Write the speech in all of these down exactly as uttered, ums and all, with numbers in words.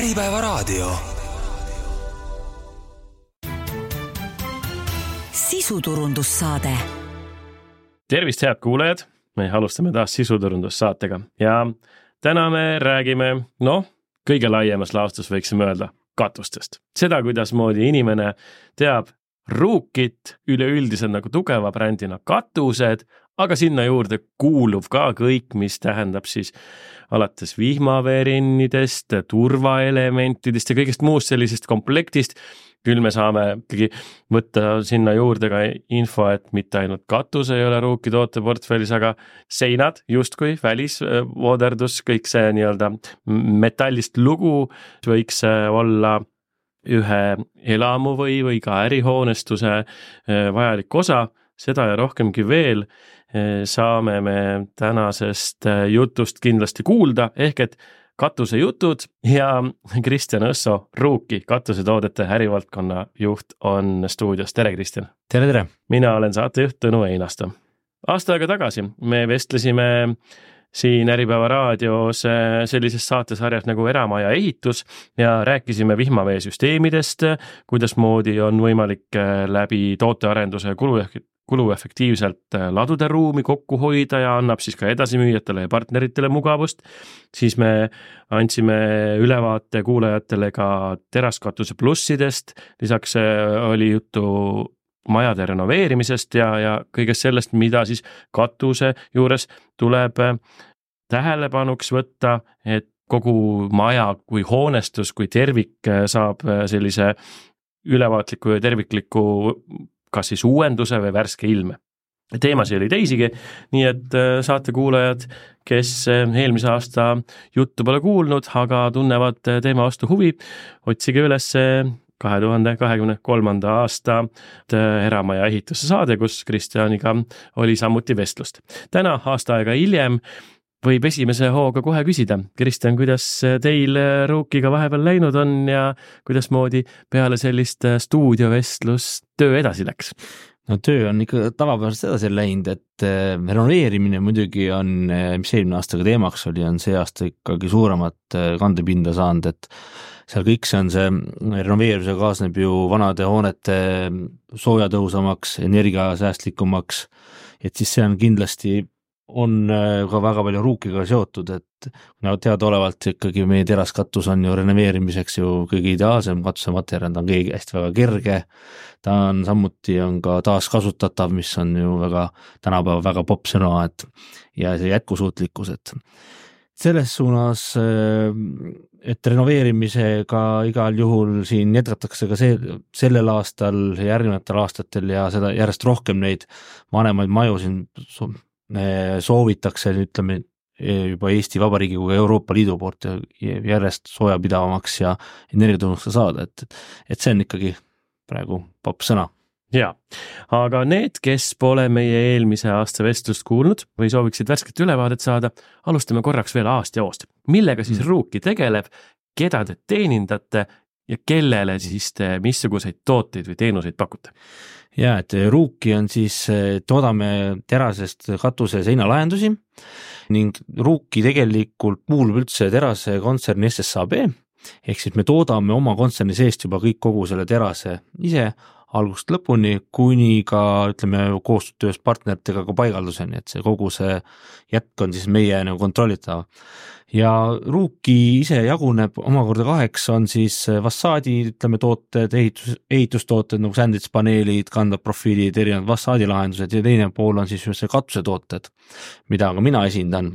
Äripäeva raadio. Sisuturundussaade. Tervist, head kuulajad! Me alustame taas sisuturundussaatega ja täna me räägime, noh, kõige laiemas laastus võiksime öelda katustest. Seda, kuidas moodi inimene teab Rookit üleüldiselt nagu tugeva brändina katused, aga sinna juurde kuulub ka kõik, mis tähendab siis alates vihmaveerinnidest, turvaelementidest ja kõigest muust sellisest komplektist. Küll me saame ikkagi võtta sinna juurde ka info, et mitte ainult katus ei ole Rooki tooteportfellis, aga seinad justkui, välisvooderdus, kõik see nii-öelda metallist lugu võiks olla ühe elamu või, või ka ärihoonestuse vajalik osa. Seda ja rohkemgi veel saame me tänasest jutust kindlasti kuulda, ehk et katuse jutud ja Kristjan Õsso, Rooki katusetoodete ärivaldkonna juht on stuudios. Tere, Kristjan! Tere, tere! Mina olen saatejuht Tõnu Einasto. Aasta aega tagasi me vestlesime siin Äripäeva raadios sellises saatesarjas nagu Eramaja ehitus ja rääkisime vihmaveesüsteemidest, kuidas moodi on võimalik läbi tootearenduse kulu kuluefektiivselt ladude ruumi kokku hoida ja annab siis ka edasimüüjatele ja partneritele mugavust. Siis me andsime ülevaate kuulajatele ka teraskatuse plussidest, lisaks oli juttu majade renoveerimisest ja, ja kõigest sellest, mida siis katuse juures tuleb tähelepanuks võtta, et kogu maja kui hoonestus, kui tervik saab sellise ülevaatliku ja tervikliku kas siis uuenduse või värske ilme. Teemasi oli teisigi, nii et saate kuulajad, kes eelmise aasta juttu pole kuulnud, aga tunnevad teema vastu huvi, otsige üles kahe tuhande kahekümne kolmanda aasta Eramaja ehituse saade, kus Kristjaniga oli samuti vestlust. Täna aasta aega hiljem võib esimese hooga kohe küsida. Kristjan, kuidas teil Rookiga vahepeal läinud on ja kuidas moodi peale sellist stuudiovestlust töö edasi läks? No töö on ikka tavapäraselt edasi läinud, et renoveerimine muidugi on, mis eelmine aastaga teemaks oli, on see aasta ikkagi suuremat kandepinda saanud, et seal kõik see on see renoveerimisega kaasneb ju vanade hoonete soojatõusamaks, energiasäästlikumaks, et siis see on kindlasti on ka väga palju Rookiga seotud, et nagu teadaolevalt ikkagi meie teraskatus on ju renoveerimiseks ju kõige ideaalsem katusematerjal, ta on kõige hästi väga kerge, ta on samuti on ka taaskasutatav, mis on ju väga tänapäeva väga popp sõna, et ja see jätkusuutlikkus, et selles suunas, et renoveerimisega igal juhul siin jätkatakse ka see, sellel aastal ja järgnevatel aastatel ja seda järjest rohkem neid vanemaid maju siin soovitakse, ütleme, juba Eesti Vabariigi kui Euroopa Liidu poolt järjest soojapidavamaks ja energiatõhususta saada, et, et see on ikkagi praegu popp sõna. Ja, aga need, kes pole meie eelmise aasta vestlust kuulnud või sooviksid värsket ülevaadet saada, alustame korraks veel aast ja oost. Millega siis Rooki tegeleb, keda te teenindate ja kellele siis te missuguseid tooteid või teenuseid pakute? Ja, et Rooki on siis, toodame terasest katuse seinalahendusi ning Rooki tegelikult kuulub üldse terase kontserni S S A B, ehk siis me toodame oma kontserni seest juba kõik kogu selle terase ise algust lõpuni, kuni ka, ütleme, koostöös partneritega ka paigalduseni, et see kogu see jätk on siis meie nagu kontrollitav. Ja Rooki ise jaguneb omakorda kaheks, on siis fassaadi, ütleme, tooted, ehitus, ehitustooted nagu sandwichpaneelid, kandvad profiilid, erinevad fassaadilahendused ja teine pool on siis just see katusetooted, mida ka mina esindan.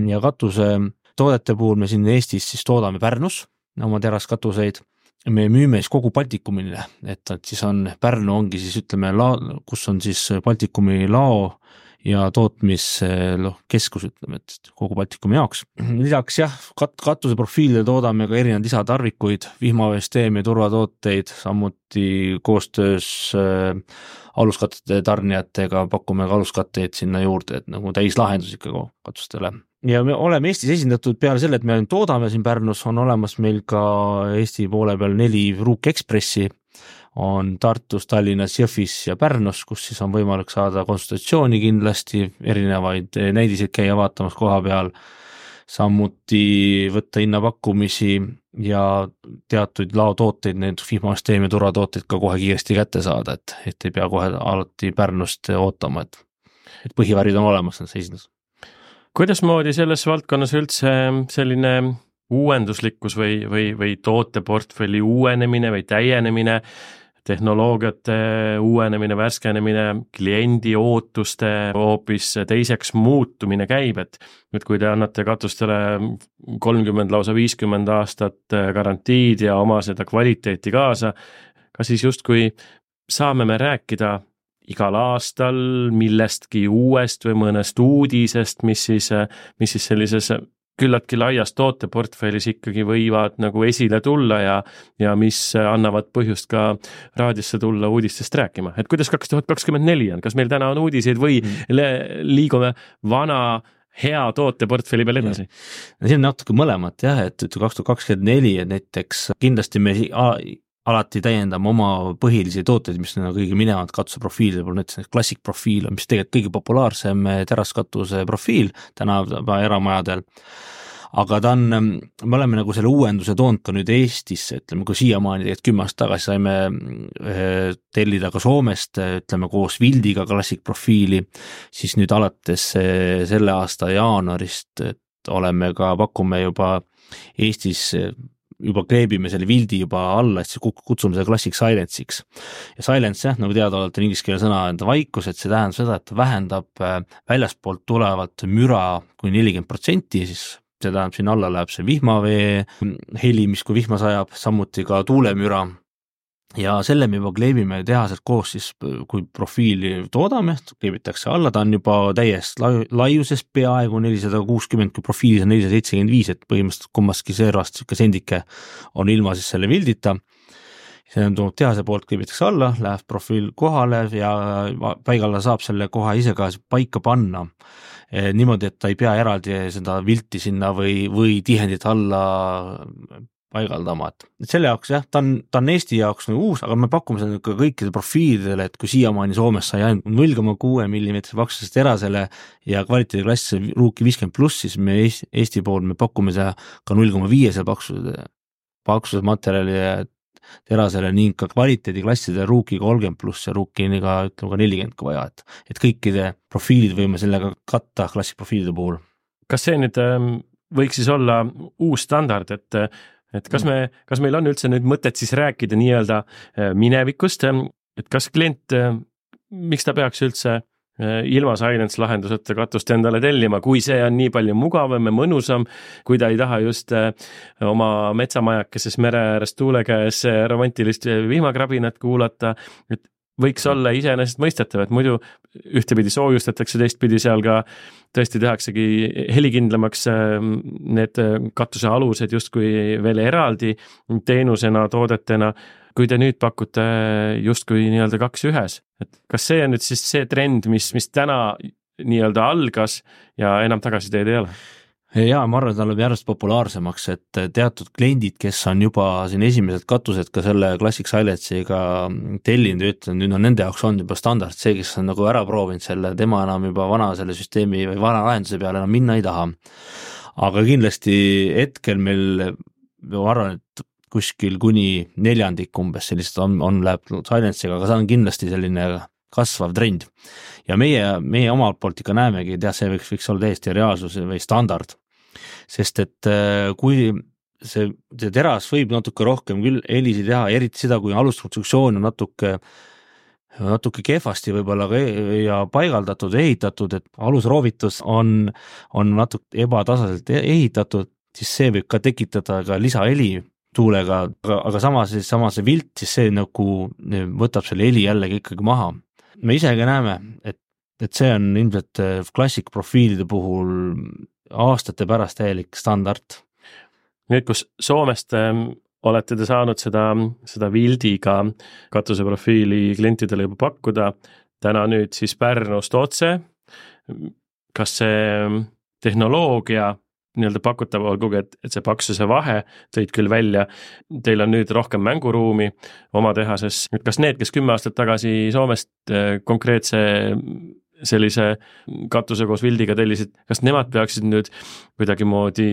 Ja katuse toodete puhul me siin Eestis siis toodame Pärnus oma teraskatuseid. Me müüme siis kogu Baltikumile, et siis on, Pärnu ongi siis, ütleme, la, kus on siis Baltikumi lao ja tootmiskeskus, ütleme, et kogu Baltikumi jaoks. Lisaks jah, kat, katuse profiilile toodame ka erinevad lisatarvikuid, vihmaveesüsteemi ja turvatooteid, samuti koostöös äh, aluskatte tarnijatega pakume ka aluskatteid sinna juurde, et nagu täislahendus ikka katustele. Ja me oleme Eestis esindatud peale selle, et me toodame siin Pärnus, on olemas meil ka Eesti poole peal neli Rooki Ekspressi, on Tartus, Tallinnas, Jõhvis ja Pärnus, kus siis on võimalik saada konsultatsiooni kindlasti, erinevaid näidiseid käia vaatamas koha peal samuti võtta hinnapakkumisi ja teatud laotooteid, need vihmasüsteemi turvatooteid ka kohe kiiresti kätte saada, et, et ei pea kohe alati Pärnust ootama, et, et põhivärid on olemas seisnud. Kuidas moodi selles valdkonnas üldse selline uuenduslikkus või, või, või tooteportfelli uuenemine või täienemine, tehnoloogiate uuenemine, värskenemine, kliendi ootuste hoopis teiseks muutumine käib, et nüüd kui te annate katustele kolmkümmend lausa viiskümmend aastat garantiid ja oma seda kvaliteeti kaasa, kas siis justkui saame me rääkida igal aastal millestki uuest või mõnest uudisest, mis siis, mis siis sellises küllaltki laias tooteportfellis ikkagi võivad nagu esile tulla ja, ja mis annavad põhjust ka raadiosse tulla uudistest rääkima. Et kuidas kaks tuhat kakskümmend neli on? Kas meil täna on uudiseid või mm. liigume vana hea tooteportfelli peal edasi? Ja. See on natuke mõlemat jah, et kaks tuhat kakskümmend neli et näiteks kindlasti me alati täiendame oma põhilisi tooteid, mis on kõige minevad katuse profiilide pool, näiteks klassik profiil, mis tegelikult kõige populaarsem teraskatuse profiil täna eramajadel. Aga ta on, me oleme nagu selle uuenduse toonud ka nüüd Eestisse, ütleme, kui siiamaani tegelikult kümme aastat tagasi saime tellida ka Soomest, ütleme koos Vildiga klassik profiili, siis nüüd alates selle aasta jaanuarist oleme ka, pakume juba Eestis juba kleebime selle Vildi juba alla, et kutsume selle Classic Silence'iks. Ja silence, jah, nagu teada olete ingliskeele sõna on vaikus, et see tähendab seda, et vähendab väljaspoolt tulevat müra kui nelikümmend protsenti, siis see tähendab, siin alla läheb see vihmavee heli, mis kui vihma sajab, samuti ka tuulemüra. Ja selle me juba kleebime tehaselt koos siis, kui profiili toodame, kleebitakse alla, ta on juba täiest laiuses peaaegu nelisada kuuskümmend, kui profiilis on nelisada seitsekümmend viis, et põhimõtteliselt kummaski servast sendike on ilma siis selle vildita. See on tulnud tehase poolt, kleebitakse alla, läheb profiil kohale ja paigalla saab selle koha ise ka paika panna. Niimoodi, et ta ei pea eraldi seda vilti sinna või, või tihendit alla paigaldama, et selle jaoks jah, ta on, ta on Eesti jaoks nagu uus, aga me pakume seda ka kõikide profiilidele, et kui siiamaani Soomes sai ainult null koma kuus millimeetri paksusest terasele ja kvaliteediklassile ruuki viiskümmend pluss, siis me Eesti pool me pakume seda ka null koma viis paksused, paksused materjali terasele ning ka kvaliteediklasside ruuki kolmkümmend pluss ja ruuki ka, ütleme ka nelikümmend kui vaja, et, et kõikide profiilid võime sellega katta klassik-profiilide puhul. Kas see nüüd võiks siis olla uus standard, et et kas, me, kas meil on üldse nüüd mõtet siis rääkida nii-öelda minevikust, et kas klient, miks ta peaks üldse ilma silence lahenduseta katust endale tellima, kui see on nii palju mugavam ja mõnusam, kui ta ei taha just oma metsamajakeses mere ääres tuule käes romantilist vihmakrabinat kuulata, et võiks olla iseenesest mõistetav, et muidu ühtepidi soojustatakse, teistpidi seal ka tõesti tehaksegi helikindlamaks need katuse alused justkui veel eraldi teenusena, toodetena, kui te nüüd pakute justkui nii-öelda kaks ühes. Et kas see on nüüd siis see trend, mis, mis täna nii-öelda algas ja enam tagasi teed ei ole? Ja ma arvan, et ta on järjest populaarsemaks, et teatud kliendid, kes on juba siin esimesed katused ka selle Classic Silence'iga tellinud ja ütlen, nüüd on nende jaoks on juba standard, see, kes on nagu ära proovinud selle, tema enam juba vana selle süsteemi või vana lahenduse peale enam minna ei taha. Aga kindlasti hetkel meil, ma arvan, et kuskil kuni neljandik umbes sellist on, on läheb Silence'iga, aga see on kindlasti selline kasvav trend. Ja meie, meie omalt poolt ikka näemegi, et jah, see võiks, võiks olla täiesti reaalsus või standard. Sest et kui see, see teras võib natuke rohkem küll helisi teha, eriti seda, kui aluskonstruktsioon on natuke, natuke kehvasti võib-olla ja paigaldatud, ehitatud, et alusroovitus on, on natuke ebatasaselt ehitatud, siis see võib ka tekitada ka lisaheli tuulega, aga, aga samas, samas see vilt, siis see nagu võtab selle heli jällegi ikkagi maha. Me isegi näeme, et, et see on ilmselt klassik profiilide puhul aastate pärast täielik standard. Nüüd, kus Soomest olete te saanud seda, seda Vildiga katuseprofiili klientidele juba pakkuda, täna nüüd siis Pärnust otse, kas see tehnoloogia nii-öelda pakutav, olgugi, et, et see paksuse vahe tõid küll välja, teil on nüüd rohkem mänguruumi oma tehases. Kas need, kes kümme aastat tagasi Soomest konkreetse sellise katuse koos vildiga tellisid, kas nemad peaksid nüüd kuidagi moodi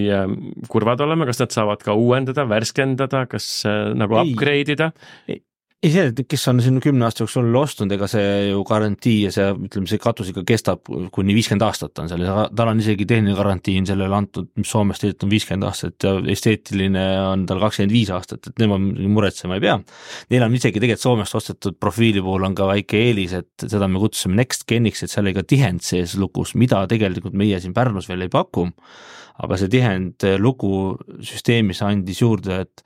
kurvad olema, kas nad saavad ka uuendada, värskendada, kas nagu Ei. upgrade ida? Ei see, kes on siin kümne aasta jooksul ostunud, ega see ju garantii ja see, ütleme, see katus ikka kestab kuni viiskümmend aastat on selle, tal on isegi tehniline garantii on sellele antud, mis Soomest on viiskümmend aastat ja esteetiline on tal kakskümmend viis aastat, et nemad muretsema ei pea. Neil on isegi tegelikult Soomest ostetud profiili puhul on ka väike eelis, et seda me kutsusime Next Geniks, et seal ei ka tihend sees lukus, mida tegelikult meie siin Pärnus veel ei paku, aga see tihend lugu süsteemis andis juurde, et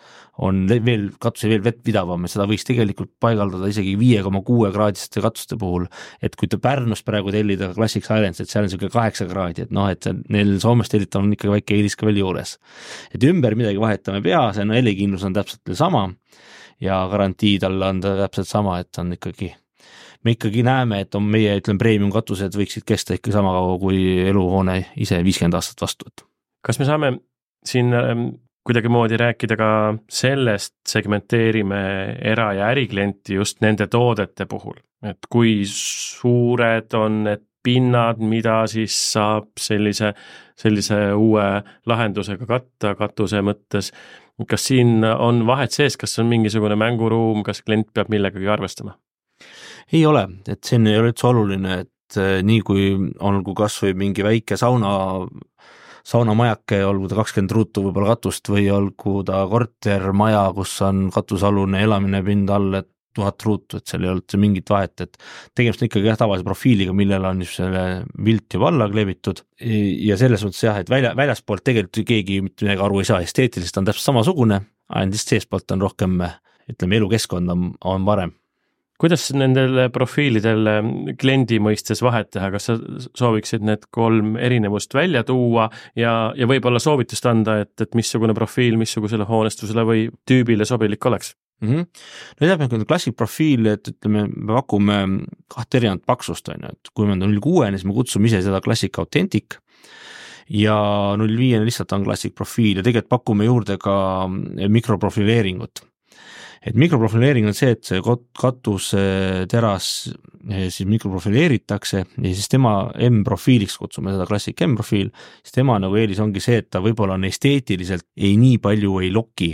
on veel katuse veel vettpidavam ja seda võiks tegelikult paigaldada isegi viie koma kuue kraadiste katuste puhul, et kui ta Pärnus praegu tellida Classic Silence, et seal on selline kaheksa kraadi, et noh, et neil Soomest tellita on ikka väike eelis ka veel juures. Et ümber midagi vahetame pea, see no helikindlus on täpselt sama ja garantii talle on ta täpselt sama, et on ikkagi me ikkagi näeme, et on meie, ütleme, premium katused võiksid kesta ikka sama kaua kui eluhoone ise viiskümmend aastat vastu. Kas me saame siin kuidagi moodi rääkida ka sellest, segmenteerime era- ja äriklienti just nende toodete puhul, et kui suured on need pinnad, mida siis saab sellise, sellise uue lahendusega katta katuse mõttes, kas siin on vahet sees, kas on mingisugune mänguruum, kas klient peab millegagi arvestama? Ei ole, et siin ei ole üldse oluline, et nii kui on kui kas või mingi väike sauna saunamajake, olgu ta kakskümmend ruutu võib-olla katust või olgu ta kortermaja, kus on katusalune elamine pind all, et tuhat ruutu, et seal ei olnud mingit vahet, et tegemist on ikkagi jah, tavalise profiiliga, millel on just selle vilt juba alla kleebitud ja selles mõttes jah, et välja, väljaspoolt tegelikult keegi mitte midagi aru ei saa, esteetiliselt on täpselt samasugune, ainult seespoolt on rohkem, ütleme, elukeskkond on, on varem. Kuidas nendel profiilidel kliendi mõistes vahet teha, kas sa sooviksid need kolm erinevust välja tuua ja, ja võib-olla soovitust anda, et, et missugune profiil, missugusele hoonestusele või tüübile sobilik oleks? Mm-hmm. No teab, kui Classic profiil, et ütleme, me pakume kahte erinevat paksust, on, et kui me on null kuue, siis me kutsume ise seda Classic Authentic ja null viie lihtsalt on Classic profiil ja tegelikult pakume juurde ka mikroprofileeringut. Et mikroprofileering on see, et see katus teras siis mikroprofileeritakse ja siis tema M-profiiliks kutsume seda Classic M-profiil, siis tema nagu eelis ongi see, et ta võib-olla on esteetiliselt ei nii palju ei loki.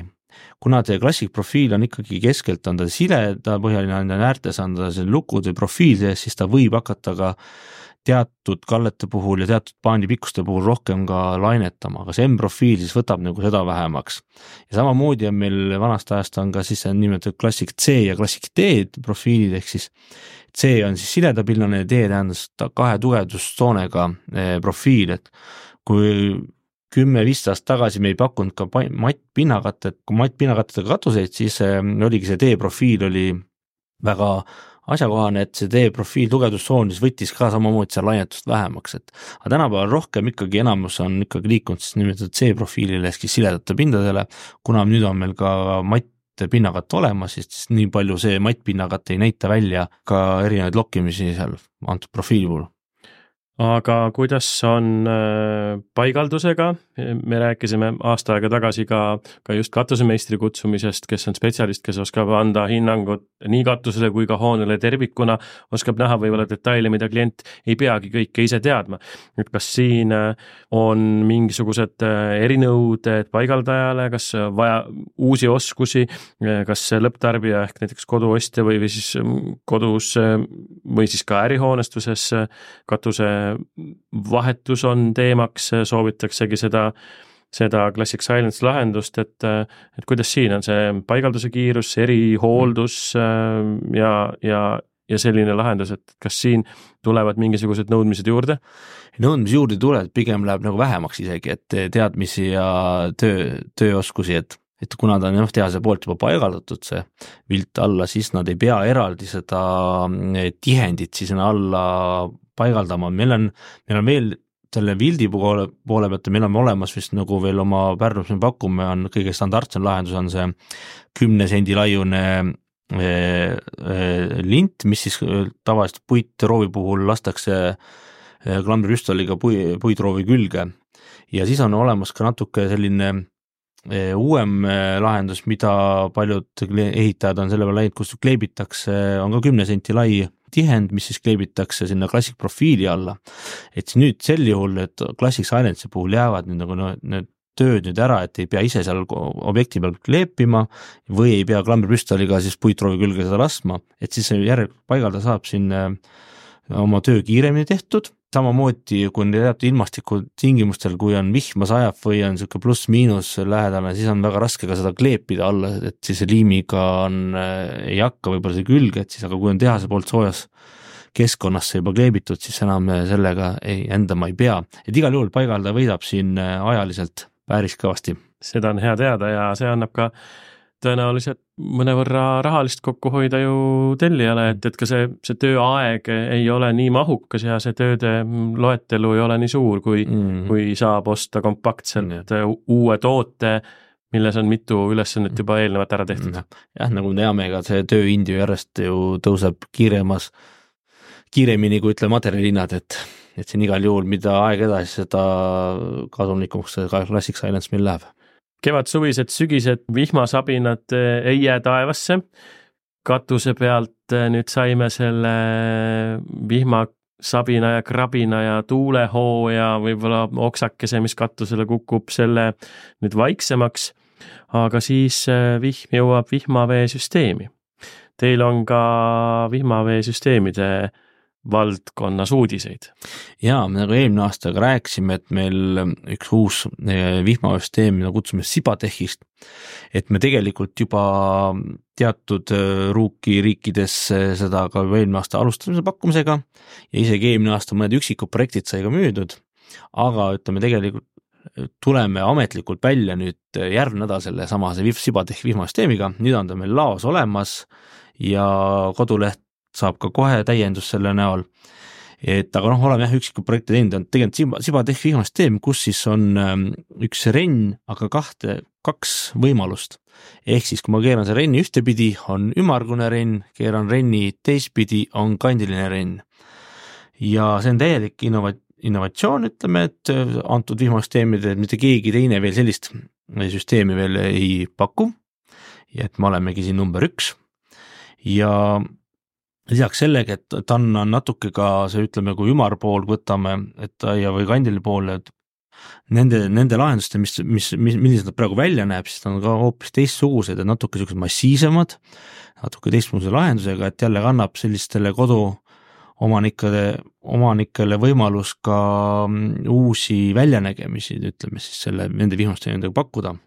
Kuna see Classic profiil on ikkagi keskelt, on ta sileda põhjaline, on ta äärtes, on ta see lukud või profiil sees, siis ta võib hakata ka teatud kallete puhul ja teatud paani pikkuste puhul rohkem ka lainetama, aga see M-profiil siis võtab nagu seda vähemaks. Ja samamoodi on meil vanast ajast on ka siis nimetatud Classic C ja Classic D profiilid, ehk siis C on siis siledapillane ja D tähendas kahe tugevdustsoonega profiil, et kui kümme viis aastat tagasi me ei pakkunud ka mattpinnakatet, kui mattpinnakatega katuseid, siis oligi see D-profiil oli väga asjakohane, et see D-profiil tugevdussoonis võttis ka samamoodi seal lainetust vähemaks, et aga tänapäeval rohkem ikkagi enamus on ikkagi liikunud siis nimetatud C-profiilile ehk siis siledate pindadele, kuna nüüd on meil ka mattpinnakat olemas, siis nii palju see mattpinnakat ei näita välja ka erinevaid lokkimisi seal antud profiili puhul. Aga kuidas on paigaldusega? Me rääkisime aasta aega tagasi ka, ka just katusemeistri kutsumisest, kes on spetsialist, kes oskab anda hinnangut nii katusele kui ka hoonele tervikuna, oskab näha võib-olla detaile, mida klient ei peagi kõike ise teadma. Et kas siin on mingisugused erinõuded paigaldajale, kas vaja uusi oskusi, kas lõpptarbija ehk näiteks koduostja või, või siis kodus või siis ka ärihoonestuses katuse vahetus on teemaks, soovitaksegi seda, seda Classic Silence lahendust, et, et kuidas siin on see paigalduse kiirus, erihooldus ja, ja, ja selline lahendus, et kas siin tulevad mingisugused nõudmised juurde? Nõudmisi juurde tuleb, pigem läheb nagu vähemaks isegi, et teadmisi ja töö, tööoskusi, et et kuna ta on tehase poolt juba paigaldatud see vilt alla, siis nad ei pea eraldi seda tihendit siis alla paigaldama. Meil on, meil on veel selle vildi poole, poole pealt, meil on olemas vist nagu veel oma Pärnus me pakume, on kõige standardsem lahendus, on see kümne sendi laiune e, e, lint, mis siis tavaliselt puitroovi puhul lastakse klambripüstoliga pui, puitroovi külge ja siis on olemas ka natuke selline uuem lahendus, mida paljud ehitajad on selle peale läinud, kus kleebitakse, on ka kümne senti lai tihend, mis siis kleebitakse sinna Classic profiili alla. Et nüüd sel juhul, et Classic Silence'i puhul jäävad nüüd nagu need tööd nüüd ära, et ei pea ise seal objekti peal kleepima või ei pea klambripüstoliga siis puitroovi külge seda laskma, et siis järelikult paigalda saab siin oma töö kiiremini tehtud. Samamoodi, kui on teatud ilmastiku tingimustel, kui on vihma sajab või on niisugune pluss-miinus lähedane, siis on väga raske ka seda kleepida alla, et siis liimiga on, ei hakka võib-olla see külge, et siis, aga kui on tehase poolt soojas keskkonnasse juba kleebitud, siis enam sellega ei, endama ei pea. Et igal juhul paigalda võidab siin ajaliselt päris kõvasti. Seda on hea teada ja see annab ka tõenäoliselt mõnevõrra rahalist kokku hoida ju tellijale, et, et ka see, see tööaeg ei ole nii mahukas ja see tööde loetelu ei ole nii suur, kui, mm. kui saab osta kompaktselt mm. uue toote, milles on mitu ülesannet juba eelnevalt ära tehtud. Jah, nagu me teame, ega see tööhind ju järjest ju tõuseb kiiremas, kiiremini kui ütle materjalinnad, et, et siin igal juhul, mida aeg edasi, seda kasumlikumaks see Classic Silence meil läheb. Kevad, suvised, sügised, vihmasabinad ei jää taevasse. Katuse pealt nüüd saime selle vihmasabina ja krabina ja tuulehoo ja võib-olla oksakese, mis katusele kukub, selle nüüd vaiksemaks. Aga siis vihm jõuab vihmaveesüsteemi. Teil on ka vihmaveesüsteemide valdkonnas uudiseid. Jaa, me nagu eelmine aastaga rääkisime, et meil üks uus vihmasüsteem, mida kutsume Sibatechist, et me tegelikult juba teatud ruuki riikides seda ka eelmine aasta alustamise pakkumisega ja isegi eelmine aasta mõned üksikud projektid sai ka müüdud, aga ütleme tegelikult tuleme ametlikult välja nüüd järgmine nädal selle samase Sibatech vihmasüsteemiga, nüüd on ta meil laos olemas ja koduleht saab ka kohe täiendus selle näol. Et aga noh, oleme jah üksikud projekte teinud, tegelikult Sibatech vihmasüsteem, kus siis on üks renn, aga kahte, kaks võimalust. Ehk siis, kui ma keeran see renni ühtepidi, on ümargune renn, keeran renni teistpidi, on kandiline renn. Ja see on täielik innova- innovatsioon, ütleme, et antud vihmasüsteemide, mitte keegi teine veel sellist süsteemi veel ei paku. Ja et me olemegi siin number üks. Ja lisaks sellega, et ta on natuke ka see, ütleme, kui ümar pool võtame, et ja või kandili pool, et nende, nende lahenduste, mis, mis, mis, millised nad praegu välja näeb, siis on ka hoopis teistsugused ja natuke sellised massiivsemad, natuke teistsuguse lahendusega, et jälle annab sellistele kodu omanikele, omanikele võimalus ka uusi väljanägemisi, ütleme siis selle, nende vihmasüsteemidega pakkuda.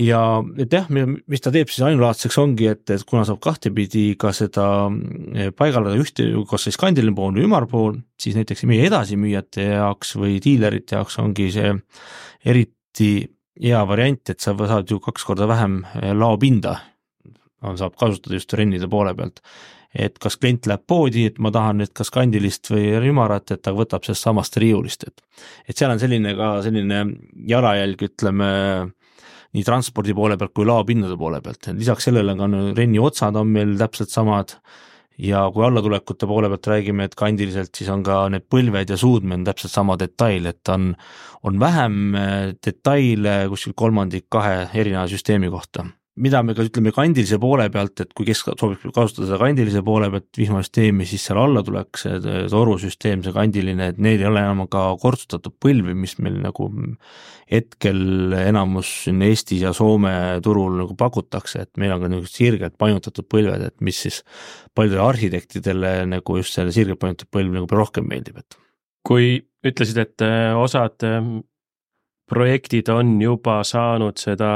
Ja et jah, mis ta teeb siis ainulaadseks ongi, et, et kuna saab kahtepidi ka seda paigaldada ühte, kas siis kandiline pool või ümar pool, siis näiteks meie edasimüüjate jaoks või diilerite jaoks ongi see eriti hea variant, et sa saad ju kaks korda vähem laopinda, saab kasutada just rennide poole pealt. Et kas klient läheb poodi, et ma tahan nüüd kas kandilist või ümarat, et ta võtab sellest samast riiulist. Et, et seal on selline ka selline jalajälg, ütleme, nii transpordi poole pealt kui laopindade poole pealt. Lisaks sellele ka renni otsad on meil täpselt samad ja kui allatulekute poole pealt räägime, et kandiliselt siis on ka need põlved ja suudme on täpselt sama detail, et on, on vähem detaile kuskil kolmandik kahe erineva süsteemi kohta. Mida me ka ütleme kandilise poole pealt, et kui kes soovib kasutada seda kandilise poole pealt vihmasüsteemi, siis seal alla tuleks see torusüsteem, see kandiline, et neil ei ole enam ka kortsustatud põlvi, mis meil nagu hetkel enamus Eestis ja Soome turul nagu pakutakse, et meil on ka niisugused sirgelt painutatud põlved, et mis siis paljudele arhitektidele nagu just selle sirgelt painutatud põlv nagu rohkem meeldib. Et. Kui ütlesid, et osad projektid on juba saanud seda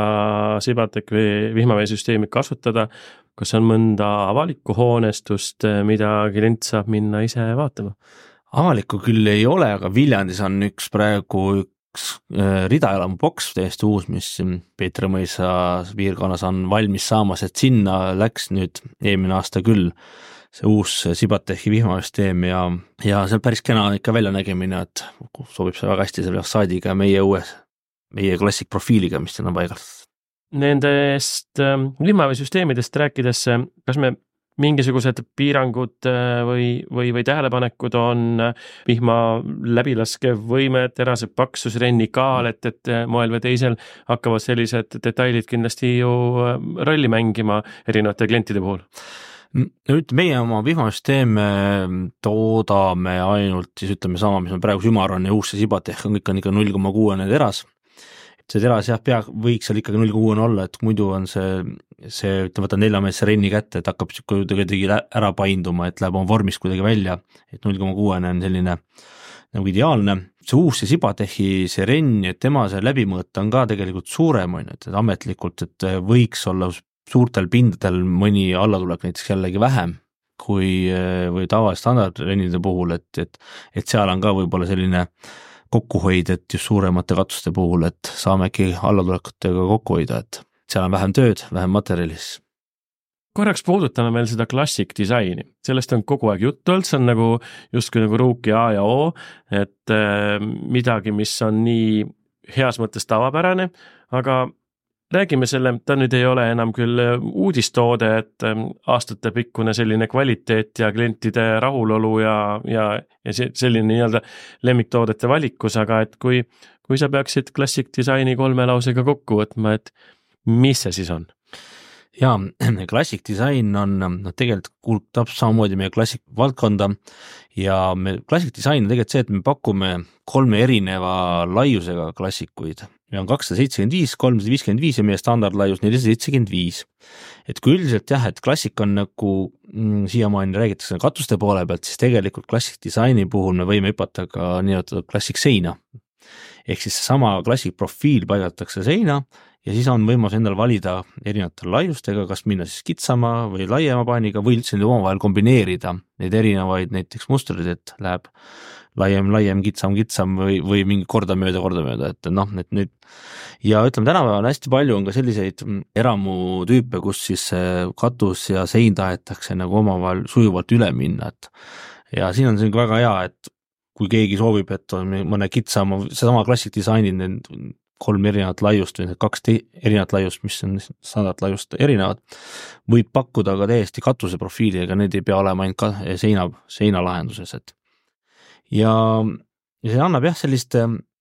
Sibatech vihmaveesüsteemi kasutada, kas on mõnda avalikku hoonestust, mida klient saab minna ise vaatama? Avalikku küll ei ole, aga Viljandis on üks praegu üks ridaelamu boks täiesti uus, mis Peetremõisa piirkonnas on valmis saamas, et sinna läks nüüd eelmine aasta küll see uus Sibatechi vihmasüsteem ja, ja see on päris kena ikka väljanägemine, et sobib see väga hästi selle fasaadiga meie uues meie Classic profiiliga, mis siin on paigaldatud. Nendest vihmaveesüsteemidest rääkides, kas me mingisugused piirangud või, või, või tähelepanekud on vihma läbilaskev võime, terase paksus, renni kaal, et, et moel või teisel hakkavad sellised detailid kindlasti ju rolli mängima erinevate klientide puhul? Nüüd meie oma vihmasüsteeme toodame ainult siis ütleme sama, mis on praegu ümar on ja uus see sibat ehk on kõik on ikka null koma kuus teras. See teras jah, pea võiks seal ikkagi null koma kuus olla, et muidu on see, see ütleme, võtta neljameelse renni kätte, et hakkab kuidagi ära painduma, et läheb oma vormist kuidagi välja, et null koma kuus on selline nagu ideaalne. See uus see Sibatechi see renn, et tema see läbimõõt on ka tegelikult suurem, on, et ametlikult, et võiks olla suurtel pindadel mõni allatulek näiteks jällegi vähem kui või tavalise standardrennide puhul, et, et, et seal on ka võib-olla selline kokkuhoid, et just suuremate katuste puhul, et saame äkki allatulekutega kokku hoida, et seal on vähem tööd, vähem materjalis. Korraks puudutame meil seda classic disaini. Sellest on kogu aeg juttu olnud, see on nagu justkui nagu ruuki A ja O, et äh, midagi, mis on nii heas mõttes tavapärane, aga räägime selle, ta nüüd ei ole enam küll uudistoode, et aastate pikkune selline kvaliteet ja klientide rahulolu ja, ja, ja selline nii-öelda lemmiktoodete valikus, aga et kui, kui sa peaksid Classic Designi kolme lausega kokku võtma, et mis see siis on? Jaa, Classic Design on no, tegelikult kuulutab samamoodi meie Classic valdkonda ja me, Classic Design on tegelikult see, et me pakume kolme erineva laiusega klassikuid. Me on kakssada seitsekümmend viis, kolmsada viiskümmend viis ja meie standardlaius nelisada seitsekümmend viis. Et kui üldiselt jah, et klassik on nagu mm, siiamaani räägitakse katuste poole pealt, siis tegelikult Classic Designi puhul me võime hüpata ka nii-öelda klassik seina. Ehk siis sama klassik profiil paigatakse seina ja siis on võimalus endal valida erinevatel laiustega, kas minna siis kitsama või laiema paaniga või üldse omavahel kombineerida neid erinevaid näiteks mustrid, et läheb laiem, laiem, kitsam, kitsam või, või mingi korda mööda, korda mööda, et noh, et nüüd ja ütleme, tänapäeval hästi palju on ka selliseid eramutüüpe, kus siis katus ja sein tahetakse nagu omavahel sujuvalt üle minna, et ja siin on see väga hea, et kui keegi soovib, et on mõne kitsama, seesama Classic Designi need kolm erinevat laiust või kaks te- erinevat laiust, mis on standardlaiust erinevad, võib pakkuda ka täiesti katuse profiili, ega need ei pea olema ainult ka seina, seina lahenduses, et ja, ja see annab jah sellist,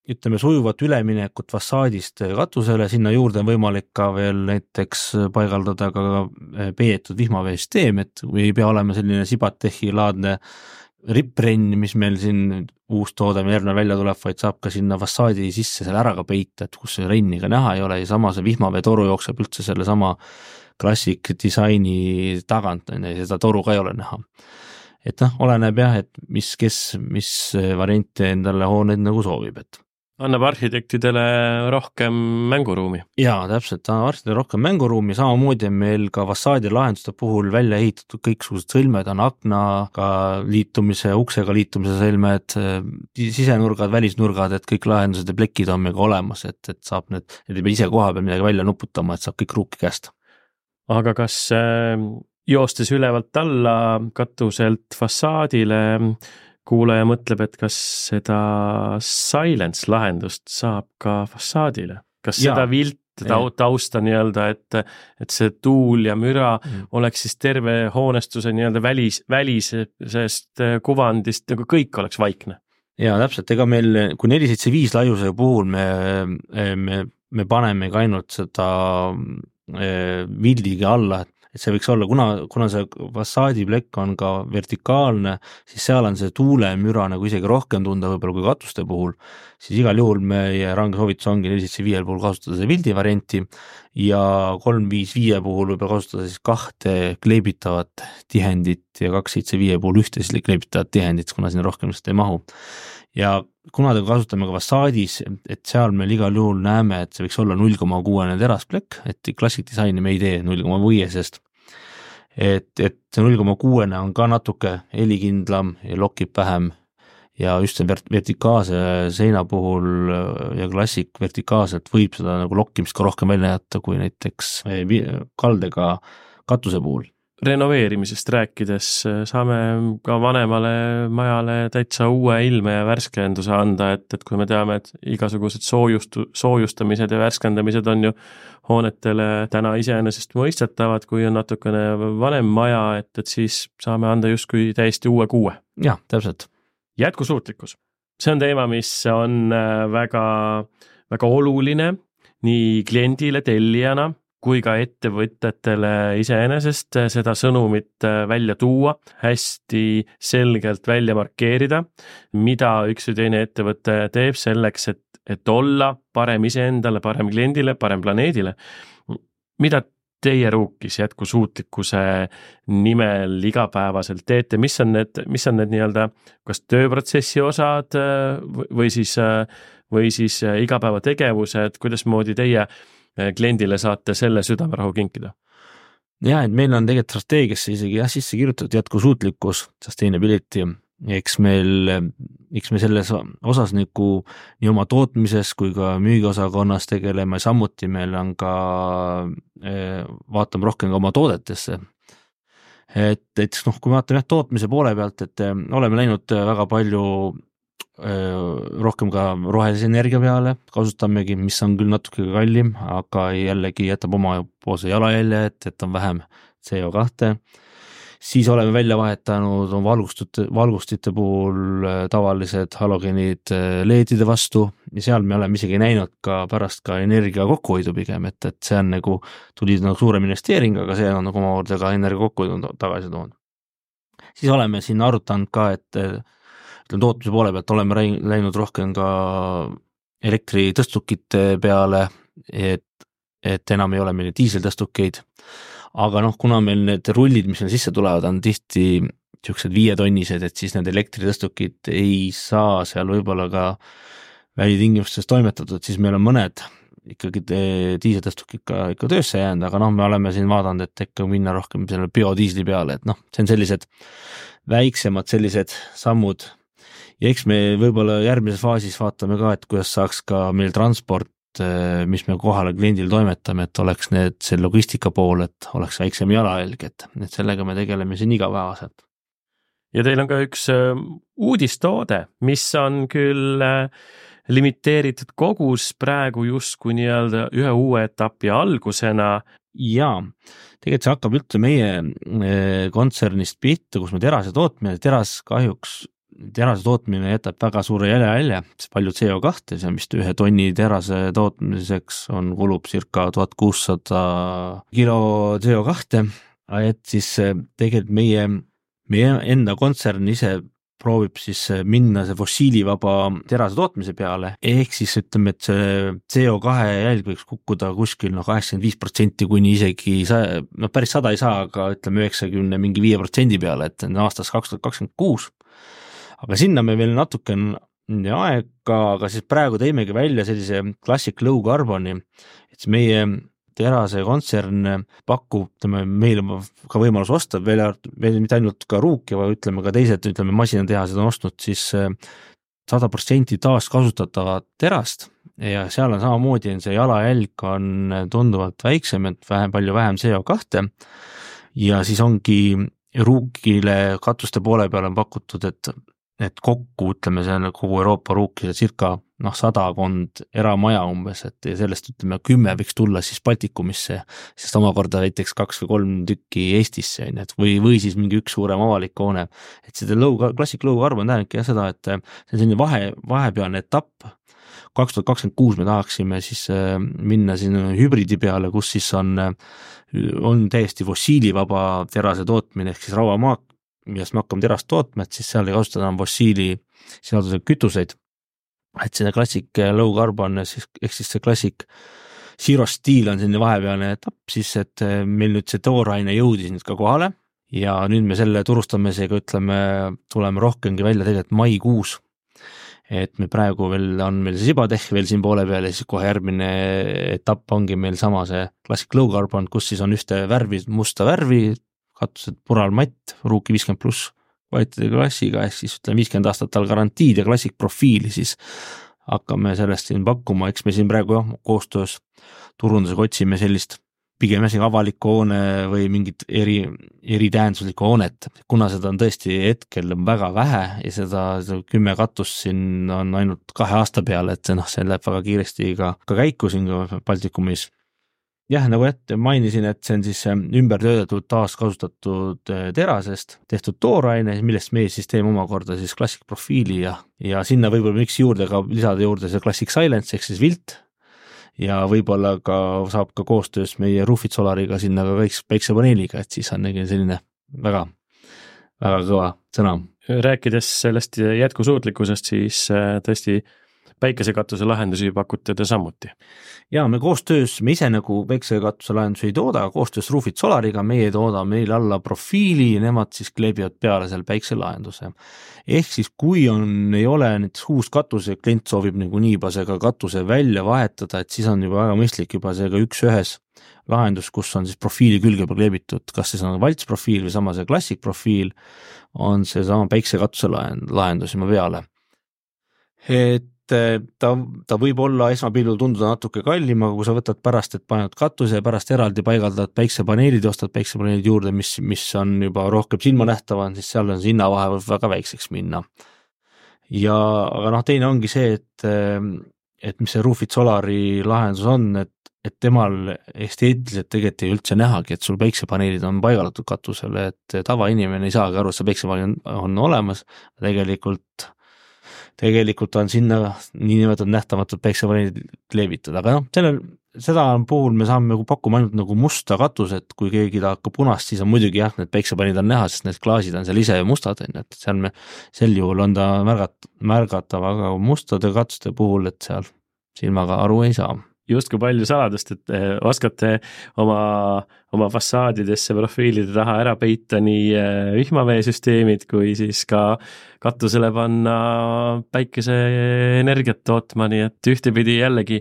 ütleme, sujuvat üleminekut fassaadist katusele, sinna juurde on võimalik ka veel näiteks paigaldada ka peetud vihmaveesüsteem, et või ei pea olema selline Sibatechi laadne riprenn, mis meil siin uus toode järgmine välja tuleb, vaid saab ka sinna fassaadi sisse selle ära ka peita, et kus see renni ka näha ei ole ja sama see vihmaveetoru jookseb üldse selle sama Classic Designi tagant, seda toru ka ei ole näha. Et noh, oleneb jah, et mis, kes, mis variante endale hooneid nagu soovib, et annab arhitektidele rohkem mänguruumi. Jaa, täpselt, annab arhitektidele rohkem mänguruumi, samamoodi on meil ka fassaadi lahenduste puhul välja ehitatud kõiksugused sõlmed, on aknaga liitumise, uksega liitumise sõlmed, sisenurgad, välisnurgad, et kõik lahendused ja plekid on meil ka olemas, et, et saab need, et ei pea ise koha peal midagi välja nuputama, et saab kõik ruuki käest. Aga kas joostes ülevalt alla katuselt fassaadile kuulaja mõtleb, et kas seda silence lahendust saab ka fassaadile? Kas ja, seda vilt tausta nii-öelda, et, et see tuul ja müra mm. oleks siis terve hoonestuse nii-öelda välis, välisest kuvandist, nagu kõik oleks vaikne? Jaa, täpselt, ega meil, kui neli seitse viis laiuse puhul me, me, me paneme ka ainult seda vildiga alla, et see võiks olla, kuna, kuna see fassaadiplekk on ka vertikaalne, siis seal on see tuulemüra nagu isegi rohkem tunda võib-olla kui katuste puhul, siis igal juhul meie range soovitus ongi neli seitse viie puhul kasutada see vildi varianti ja kolm viis viie puhul võib kasutada siis kahte kleebitavat tihendit ja kaks seitse viie puhul ühte siis kleebitavat tihendit, kuna sinna rohkem ei mahu. Ja kuna te kasutame ka fassaadis, et seal meil igal juhul näeme, et see võiks olla null koma kuus terasplekk, et Classic Designi me ei tee null koma viis, sest et, et see null koma kuus on ka natuke helikindlam ja lokib vähem ja just see vertikaalse seina puhul ja Classic vertikaalselt võib seda nagu lokkimist ka rohkem välja näidata kui näiteks kaldega katuse puhul. Renoveerimisest rääkides saame ka vanemale majale täitsa uue ilme ja värskenduse anda, et, et kui me teame, et igasugused soojustu, soojustamised ja värskendamised on ju hoonetele täna iseenesest mõistetavad, kui on natukene vanem maja, et, et siis saame anda justkui täiesti uue kuue. Jah, täpselt. Jätkusuutlikkus. See on teema, mis on väga, väga oluline nii kliendile, tellijana kui ka ettevõtetele iseenesest seda sõnumit välja tuua, hästi selgelt välja markeerida, mida üks või teine ettevõte teeb selleks, et, et olla parem iseendale, parem kliendile, parem planeedile. Mida teie Ruukis jätkusuutlikkuse nimel igapäevaselt teete, mis on need, mis on need nii-öelda kas tööprotsessi osad või siis, või siis igapäevategevused, kuidas moodi teie kliendile saate selle südamerahu kinkida? Ja, et meil on tegelikult strateegiasse isegi jah, sisse kirjutatud jätkusuutlikkus, sustainability, eks meil, eks me selles osas nagu nii oma tootmises kui ka müügiosakonnas tegeleme, samuti meil on ka, vaatame rohkem ka oma toodetesse. Et, et noh, kui vaatame jah, tootmise poole pealt, et oleme läinud väga palju rohkem ka rohelise energia peale, kasutamegi, mis on küll natuke kallim, aga jällegi jätab oma poolse jalajälje, et, et on vähem C O kahe. Siis oleme välja vahetanud on valgustute, valgustite puhul tavalised halogeenid L E D-ide vastu ja seal me oleme isegi näinud ka pärast ka energia kokkuhoidu pigem, et, et see on nagu, tuli nagu suurem investeering, aga see on nagu omakorda ka energia kokkuhoidu tagasi toonud. Siis oleme siin arutanud ka, et ütleme tootmise poole pealt oleme läinud rohkem ka elektritõstukite peale, et, et enam ei ole meil diiseltõstukeid. Aga noh, kuna meil need rullid, mis meil sisse tulevad, on tihti niisugused viietonnised, et siis need elektritõstukid ei saa seal võib-olla ka välitingimustes toimetatud, siis meil on mõned ikkagi diiseltõstukid ka ikka töösse jäänud, aga noh, me oleme siin vaadanud, et ikka minna rohkem selle biodiisli peale, et noh, see on sellised väiksemad sellised sammud ja eks me võib-olla järgmises faasis vaatame ka, et kuidas saaks ka meil transport mis me kohale kliendil toimetame, et oleks need see logistika pool, et oleks väiksem jalajälg, et, et sellega me tegeleme siin igapäevaselt. Ja teil on ka üks uudistoode, mis on küll limiteeritud kogus praegu justkui nii-öelda ühe uue etapi algusena. Jaa, tegelikult see hakkab üldse meie kontsernist pihta, kus me terase tootmine, teras kahjuks terase tootmine jätab väga suure jälje, palju C O kahe, see on vist ühe tonni terase tootmiseks on kulub circa tuhat kuussada kilo C O kahe, et siis tegelikult meie, meie enda kontsern ise proovib siis minna see fossiilivaba terase tootmise peale, ehk siis ütleme, et see C O kahe jälg võiks kukkuda kuskil no kaheksakümmend viis protsenti kuni isegi, no päris sada ei saa, aga ütleme üheksakümmend mingi viie protsendi peale, et aastas kaks tuhat kakskümmend kuus. Aga sinna me veel natuke on aega, aga siis praegu teimegi välja sellise Classic Low Carboni, et meie terase kontsern pakub, ütleme, meil ka võimalus osta, veel, veel mitte ainult ka Ruuki, aga ütleme ka teised, ütleme, masinatehased on ostnud siis sada protsenti taaskasutatavat terast ja seal on samamoodi, see jalajälg on tunduvalt väiksem, et vähem, palju vähem C O kahe ja siis ongi Ruukile katuste poole peale on pakutud, et et kokku, ütleme, see on kogu Euroopa Ruukile circa noh, sadakond eramaja umbes, et sellest ütleme kümme võiks tulla siis Baltikumisse, sest omakorda näiteks kaks või kolm tükki Eestisse, et või, või siis mingi üks suurem avalik hoone. Et seda low, Classic Low Carbon tähendabki jah seda, et see on selline vahe, vahepealne etapp. kaks tuhat kakskümmend kuus me tahaksime siis minna sinna hübridi peale, kus siis on, on täiesti fossiilivaba terase tootmine, ehk siis rauamaak, millest me hakkame terast tootma, et siis seal ei kasutada fossiili seaduse kütuseid. Et see Classic Low Carbon, ehk siis see Classic Zero Steel on selline vahepealne etapp, siis et meil nüüd see tooraine jõudis nüüd ka kohale ja nüüd me selle turustamisega ütleme, tuleme rohkemgi välja tegelikult maikuus. Et me praegu veel on meil see Sibadeh veel siin poole peal ja siis kohe järgmine etapp ongi meil sama see Classic Low Carbon, kus siis on ühte värvi, musta värvi, katused puralmatt, Ruuki viiskümmend pluss kvaliteedi klassiga, ehk siis ütleme viiskümmend aastat tal garantiid ja klassik profiili, siis hakkame sellest siin pakkuma, eks me siin praegu jah, koostöös turundusega otsime sellist pigem siin avaliku hoone või mingit eri, eritähenduslikku hoonet, kuna seda on tõesti hetkel väga vähe ja seda, seda kümme katust siin on ainult kahe aasta peale, et see, noh, see läheb väga kiiresti ka, ka käiku siin Baltikumis. Jah, nagu ette mainisin, et see on siis ümber töötatud taaskasutatud terasest tehtud tooraine, millest meie siis teeme omakorda siis Classic profiili ja, ja sinna võib-olla miks juurde ka lisada juurde see Classic Silence ehk siis vilt, ja võib-olla ka saab ka koostöös meie Roofit Solariga sinna ka kõik päiksepaneeliga, et siis on selline väga, väga kõva sõna. Rääkides sellest jätkusuutlikkusest, siis tõesti päikesekatuse lahendusi pakute te samuti. Ja me koostöös, me ise nagu päikesekatuse lahendusi ei tooda, koostöös Roofit Solariga meie tooda meil alla profiili ja nemad siis kleebivad peale seal päikselahenduse. Ehk siis kui on, ei ole näiteks uus katus ja klient soovib nagu niibasega katuse välja vahetada, et siis on juba väga mõistlik juba see ka üks ühes lahendus, kus on siis profiili külge kleebitud, kas siis on valtsprofiil või sama see klassik profiil, on see sama päiksekatuse lahendus juba peale. Et ta, ta võib olla esmapilgul tunduda natuke kallim, aga kui sa võtad pärast, et paned katuse ja pärast eraldi paigaldad päiksepaneelid, ostad päiksepaneelid juurde, mis, mis on juba rohkem silma nähtavan, siis seal on see hinnavahe võib väga väikseks minna. Ja, aga noh, teine ongi see, et, et mis see Roofit Solari lahendus on, et, et temal esteetiliselt tegelikult ei üldse nähagi, et sul päiksepaneelid on paigaldatud katusele, et tavainimene ei saagi aru, et see päiksepaneel on, on olemas, tegelikult tegelikult on sinna niinimetatud nähtamatud päiksepaneelid kleebitud, aga noh, sellel, seda puhul me saame pakkuma ainult nagu musta katuset, kui keegi tahab ka punast, siis on muidugi jah, need päiksepaneelid on näha, sest need klaasid on seal ise mustad, et seal me, sel juhul on ta märgat, märgatav, aga mustade katuste puhul, et seal silmaga aru ei saa. Just kui palju saladust, et oskate oma, oma fassaadidesse profiilide taha ära peita nii vihmaveesüsteemid kui siis ka katusele panna päikeseenergiat tootma, nii et ühtepidi jällegi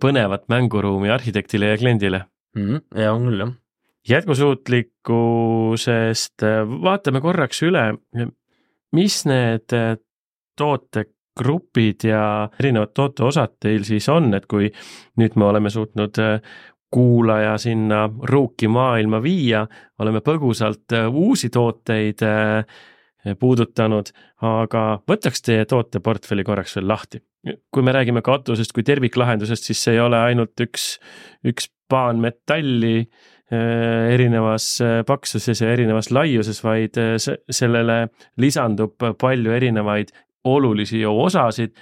põnevat mänguruumi arhitektile ja kliendile. Mm, ja on küll, jah. Jätkusuutlikkusest vaatame korraks üle, mis need toote grupid ja erinevad tooteosad teil siis on, et kui nüüd me oleme suutnud kuulaja sinna Ruuki maailma viia, oleme põgusalt uusi tooteid puudutanud, aga võtaks teie tooteportfelli korraks veel lahti. Kui me räägime katusest kui terviklahendusest, siis see ei ole ainult üks, üks paan metalli erinevas paksuses ja erinevas laiuses, vaid sellele lisandub palju erinevaid olulisi osasid,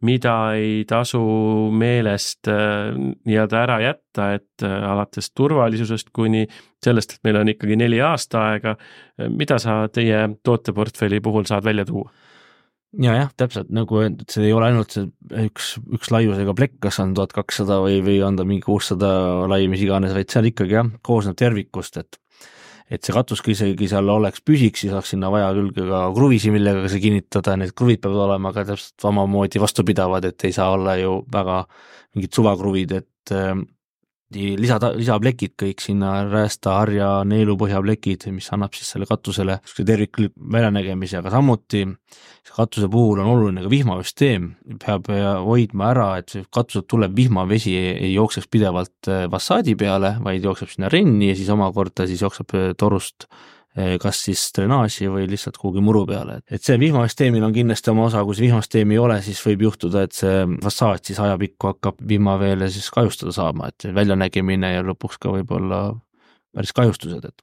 mida ei tasu meelest nii-öelda ära jätta, et alates turvalisusest kuni sellest, et meil on ikkagi neli aasta aega, mida sa teie tooteportfelli puhul saad välja tuua? Ja jah, täpselt, nagu see ei ole ainult see üks, üks laiusega plekk, kas on tuhat kakssada või, või on ta mingi kuussada lai, mis iganes, vaid seal ikkagi jah, koosneb tervikust, et et see katus, kui isegi seal oleks püsiks, siis oleks sinna vaja külge ka kruvisi, millega see kinnitada, need kruvid peavad olema ka täpselt samamoodi vastupidavad, et ei saa olla ju väga mingid suvakruvid, et lisa, lisaplekid kõik sinna räästa, harja, neelu põhjaplekid, mis annab siis selle katusele terviklik väljanägemise, aga samuti katuse puhul on oluline ka vihmasüsteem, peab hoidma ära, et katuselt tuleb vihmavesi ei jookseks pidevalt fassaadi peale, vaid jookseb sinna renni ja siis omakorda siis jookseb torust kas siis drenaaži või lihtsalt kuhugi muru peale. Et see vihmasüsteemil on kindlasti oma osa, kui see vihmasüsteemi ei ole, siis võib juhtuda, et see fassaad siis ajapikku hakkab vihmaveele siis kahjustada saama, et väljanägemine ja lõpuks ka võib-olla päris kahjustused. Et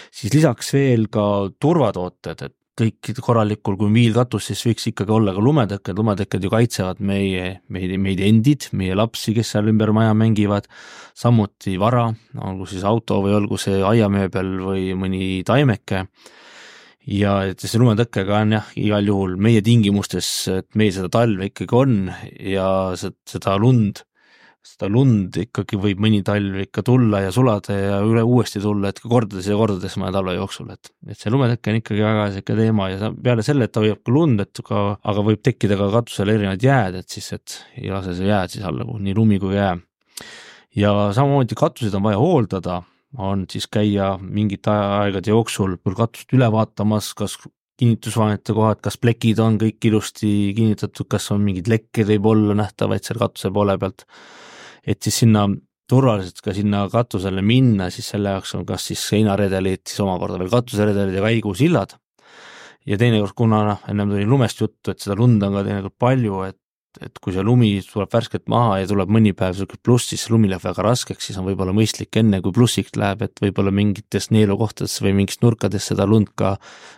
siis lisaks veel ka turvatooted, et kõik korralikul, kui viilkatus, siis võiks ikkagi olla ka lumetõkked, lumetõkked ju kaitsevad meie, meid, meid endid, meie lapsi, kes seal ümber maja mängivad, samuti vara, olgu siis auto või olgu see aiamööbel või mõni taimeke, ja et see lumetõkkega on jah, igal juhul meie tingimustes, et meil seda talve ikkagi on ja seda lund, seda lund ikkagi võib mõni talv ikka tulla ja sulada ja üle uuesti tulla, et kordades ja kordades mõne talve jooksul, et, et see lumetõkke on ikkagi väga selline teema ja peale selle, et ta võib ka lund, et ka, aga võib tekkida ka katusele erinevad jääd, et siis, et ei lase see jääd siis alla, nii lumi kui jää. Ja samamoodi katusid on vaja hooldada, on siis käia mingit aegade jooksul katust üle vaatamas, kas kinnitusvahenite kohad, kas plekid on kõik ilusti kinnitatud, kas on mingid lekked võib olla nähtavaid seal katuse poole pealt, et siis sinna turvaliselt ka sinna katusele minna, siis selle jaoks on kas siis seinaredelid, siis omakorda veel katuseredelid ja käigusillad. Ja teinekord, kuna noh, ennem tuli lumest juttu, et seda lund on ka teinekord palju, et et kui see lumi tuleb värskelt maha ja tuleb mõni päev pluss, siis lumi läheb väga raskeks, siis on võib-olla mõistlik enne, kui plussiks läheb, et võib-olla mingites neelukohtades või mingis nurkades seda lund ka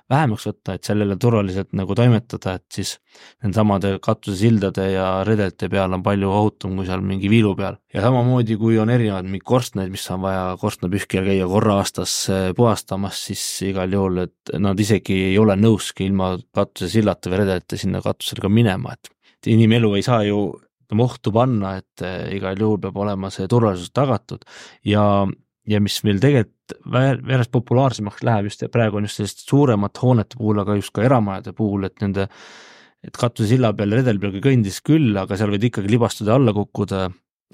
vähemaks võtta, et sellele turvaliselt nagu toimetada, et siis nendsamade katusesildade ja redelte peal on palju ohutum kui seal mingi viilu peal. Ja samamoodi, kui on erinevad mingi korstnaid, mis on vaja korstnapühkijal käia korra aastas puhastamas, siis igal juhul, et nad isegi ei ole nõuski ilma katusesillata või redelite sinna katusele ka minema, et inimelu ei saa ju ohtu panna, et igal juhul peab olema see turvalisus tagatud ja, ja mis meil tegelikult järjest populaarsemaks läheb just ja praegu on just sellist suuremat hoonete puhul, aga just ka eramajade puhul, et nende et katusesilla peal redel peal kõndis küll, aga seal võid ikkagi libastuda alla kukkuda,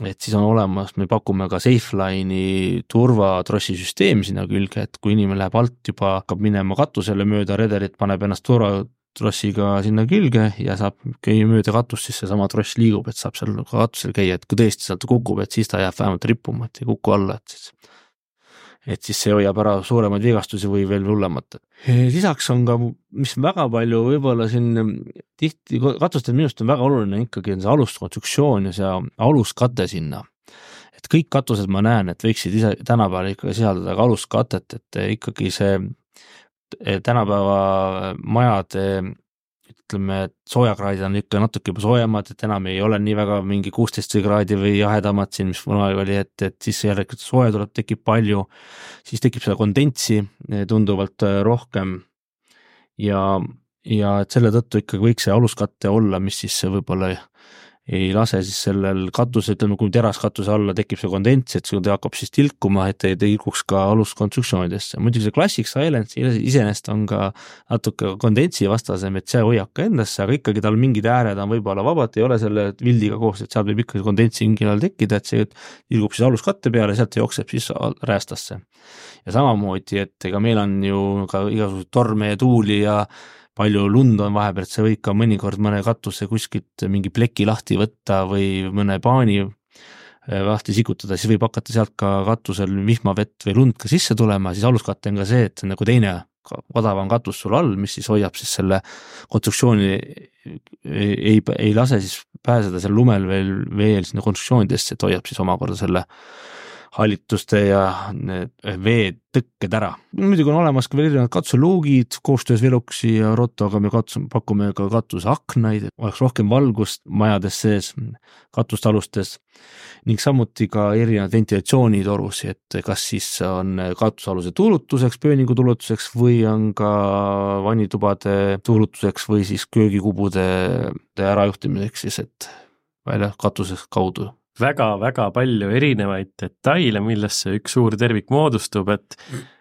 et siis on olemas, me pakume ka Safeline'i turvatrossi süsteemi sinna külge, et kui inimene läheb alt juba, hakkab minema katusele mööda redelit, paneb ennast turvatrossiga sinna külge ja saab käia mööda katust, siis see sama tross liigub, et saab seal katusel käia, et kui tõesti sealt kukub, et siis ta jääb vähemalt rippuma, et ei kuku alla, et siis et siis see hoiab ära suuremaid vigastusi või veel hullemat. Lisaks on ka, mis väga palju võib-olla siin tihti katustel minust on väga oluline ikkagi on see aluskonstruktsioon ja see aluskate sinna. Et kõik katused ma näen, et võiksid ise tänapäeval ikkagi sisaldada ka aluskatet, et ikkagi see tänapäeva majade ütleme, et soojakraadid on ikka natuke juba soojemad, et enam ei ole nii väga mingi kuusteist kraadi või jahedamad siin, mis kunagi oli, et, et siis järelikult sooja tuleb, tekib palju, siis tekib seda kondentsi tunduvalt rohkem ja, ja et selle tõttu ikkagi võiks see aluskatte olla, mis siis võib-olla ei lase siis sellel katuse, ütleme, kui teraskatuse alla tekib see kondents, et see hakkab siis tilkuma, et ei tilkuks ka aluskonstruktsioonidesse. Muidugi see Classic Silence iseenest on ka natuke kondentsi vastasem, et see hoiab ka endasse, aga ikkagi tal mingid ääred on võib-olla vabad, ei ole selle vildiga koos, et seal võib ikkagi kondentsi mingil ajal tekkida, et see tilgub siis aluskatte peale, sealt jookseb siis räästasse. Ja samamoodi, et ega meil on ju ka igasugused torme ja tuuli ja palju lund on vahepeal, et see võib ka mõnikord mõne katuse kuskilt mingi pleki lahti võtta või mõne paani lahti sikutada, siis võib hakata sealt ka katusel vihmavett või lund ka sisse tulema, siis aluskatte on ka see, et see on nagu teine odavam katus sul all, mis siis hoiab siis selle konstruktsiooni, ei, ei lase siis pääseda seal lumel veel, veel sinna konstruktsioonidesse, et hoiab siis omakorda selle hallituste ja vee tõkked ära. Muidugi on olemas ka veel erinevad katuseluugid, koostöös Veluxi ja Rotoga me katsum, pakume ka katuseaknaid, oleks rohkem valgust majades sees, katustalustes ning samuti ka erinevad ventilatsioonitorusi, et kas siis on katusaluse tuulutuseks, pööningu tuulutuseks või on ka vannitubade tuulutuseks või siis köögikubude ärajuhtimiseks siis, et välja katuseks kaudu. Väga-väga palju erinevaid detaile, millesse üks suur tervik moodustub, et,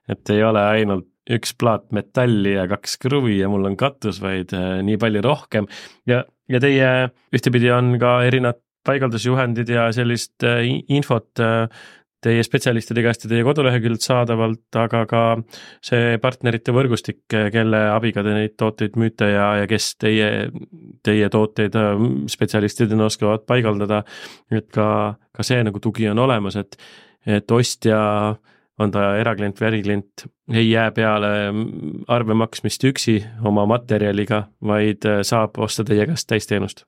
et ei ole ainult üks plaat metalli ja kaks kruvi ja mul on katus, vaid nii palju rohkem. Ja, ja teie ühtepidi on ka erinevad paigaldusjuhendid ja sellist infot teie spetsialistide käest ja teie koduleheküljelt saadavalt, aga ka see partnerite võrgustik, kelle abiga te neid tooteid müüte ja, ja kes teie, teie tooteid spetsialistidena oskavad paigaldada, et ka, ka see nagu tugi on olemas, et, et ostja, on ta eraklient või äriklient, ei jää peale arve maksmist üksi oma materjaliga, vaid saab osta teie käest täisteenust.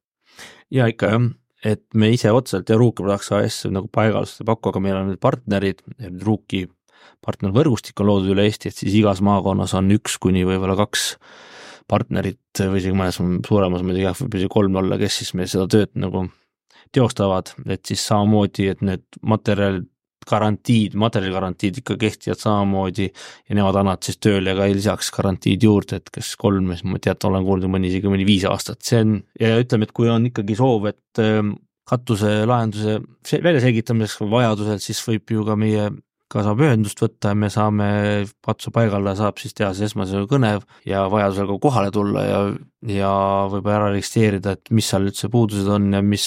Ja ikka jah. Et me ise otseselt ja Ruuki Products A S nagu paigaldust ei paku, aga meil on partnerid, Ruuki partnervõrgustik on loodud üle Eesti, et siis igas maakonnas on üks kuni võibolla kaks partnerit või isegi mõnes suuremas, ma ei tea, võib-olla kolm olla, kes siis meil seda tööd nagu teostavad, et siis samamoodi, et need materjalid, garantiid, materjalgarantiid ikka kehtivad samamoodi ja nemad annavad siis tööle ja ka lisaks garantiid juurde, et kes kolm, ma tead, olen kuulnud mõni isegi mõni viis aastat. See on, ja ütleme, et kui on ikkagi soov, et katuse lahenduse välja selgitamiseks vajadusel, siis võib ju ka meie ka saab ühendust võtta ja me saame katuse paigalla, saab siis teha see esmase kõne ja vajadusel ka kohale tulla ja, ja võib ära registreerida, et mis seal üldse puudused on ja mis,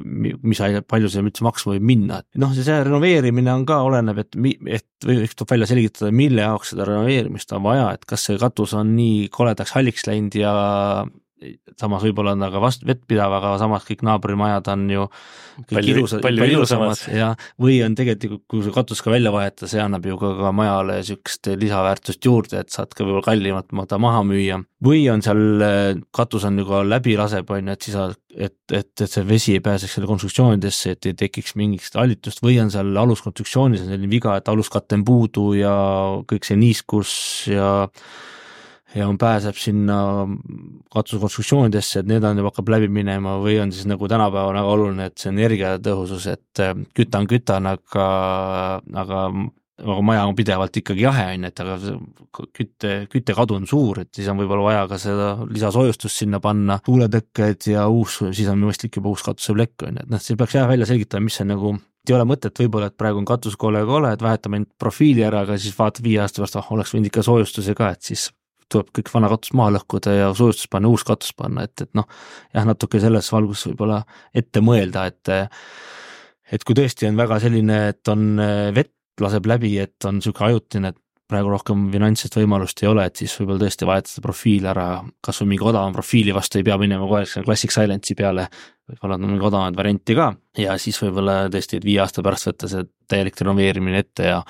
mis palju see üldse maksma võib minna. Noh, see renoveerimine on ka oleneb, et, et võiks tuleb välja selgitada, mille jaoks seda renoveerimist on vaja, et kas see katus on nii koledaks halliks läinud ja samas võib-olla on aga vastu vettpidav, aga samas kõik naabrimajad on ju kõik palju, ilusa, palju ilusamad ja või on tegelikult, kui see katus ka välja vahetada, see annab ju ka, ka majale niisugust lisaväärtust juurde, et saad ka võib-olla kallimat maha, maha müüa. Või on seal, katus on ju ka läbi laseb, on ju, et siis et, et, et see vesi ei pääseks selle konstruktsioonidesse, et ei tekiks mingist allitust, või on seal aluskonstruktsioonis on selline viga, et aluskatte on puudu ja kõik see niiskus ja ja on pääseb sinna katuskonstruktsioonidesse, et need on juba hakkab läbi minema või on siis nagu tänapäeval väga oluline, et see energiatõhusus, et kütan kütan, aga, aga, aga maja on pidevalt ikkagi jahe, et aga kütte, küttekadu on suur, et siis on võib-olla vaja ka seda lisasoojustust sinna panna, tuuletõkked ja uus, siis on mõistlik juba uus katuseplekk, et noh, see peaks jah välja selgitama, mis see nagu ei ole mõtet võib-olla, et praegu on katus kole-kole, et vahetame ainult profiili ära, aga siis vaatad viie aasta pärast, oh, oleks võinud ikka soojustuse ka, et siis tuleb kõik vana katus maha lõhkuda ja soojustus panna, uus katus panna, et, et noh, jah, natuke selles valgus võib-olla ette mõelda, et et kui tõesti on väga selline, et on vett laseb läbi, et on niisugune ajutine, et praegu rohkem finantsist võimalust ei ole, et siis võib-olla tõesti vahetada profiil ära, kas või mingi odavam profiili vastu ei pea minema kohe Classic Silence'i peale, võib-olla on mingi odavamad varianti ka ja siis võib-olla tõesti, et viie aasta pärast võtta see täielik renoveerimine ette ja